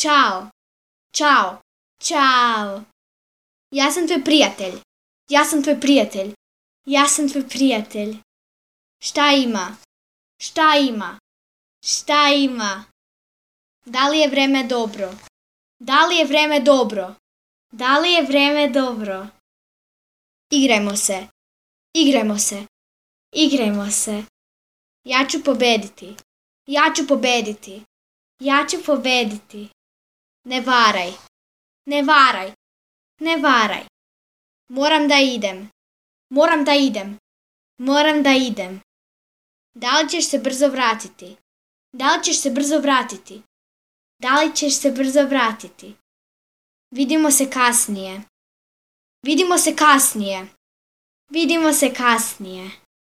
Ćao, čao, čao. Ja sam tvoj prijatelj. Ja sam tvoj prijatelj. Ja sam tvoj prijatelj. Šta ima? Šta ima? Šta ima? Da li je vreme dobro? Da li je vreme dobro? Da li je vreme dobro? Igrajmo se. Igrajmo se. Igrajmo se. Ja ću pobediti. Ja ću pobediti. Ja ću pobediti. Ne varaj. Ne varaj. Ne varaj. Moram da idem. Moram da idem. Moram da idem. Da li ćeš se brzo vratiti? Da li ćeš se brzo vratiti? Da li ćeš se brzo vratiti? Vidimo se kasnije. Vidimo se kasnije. Vidimo se kasnije.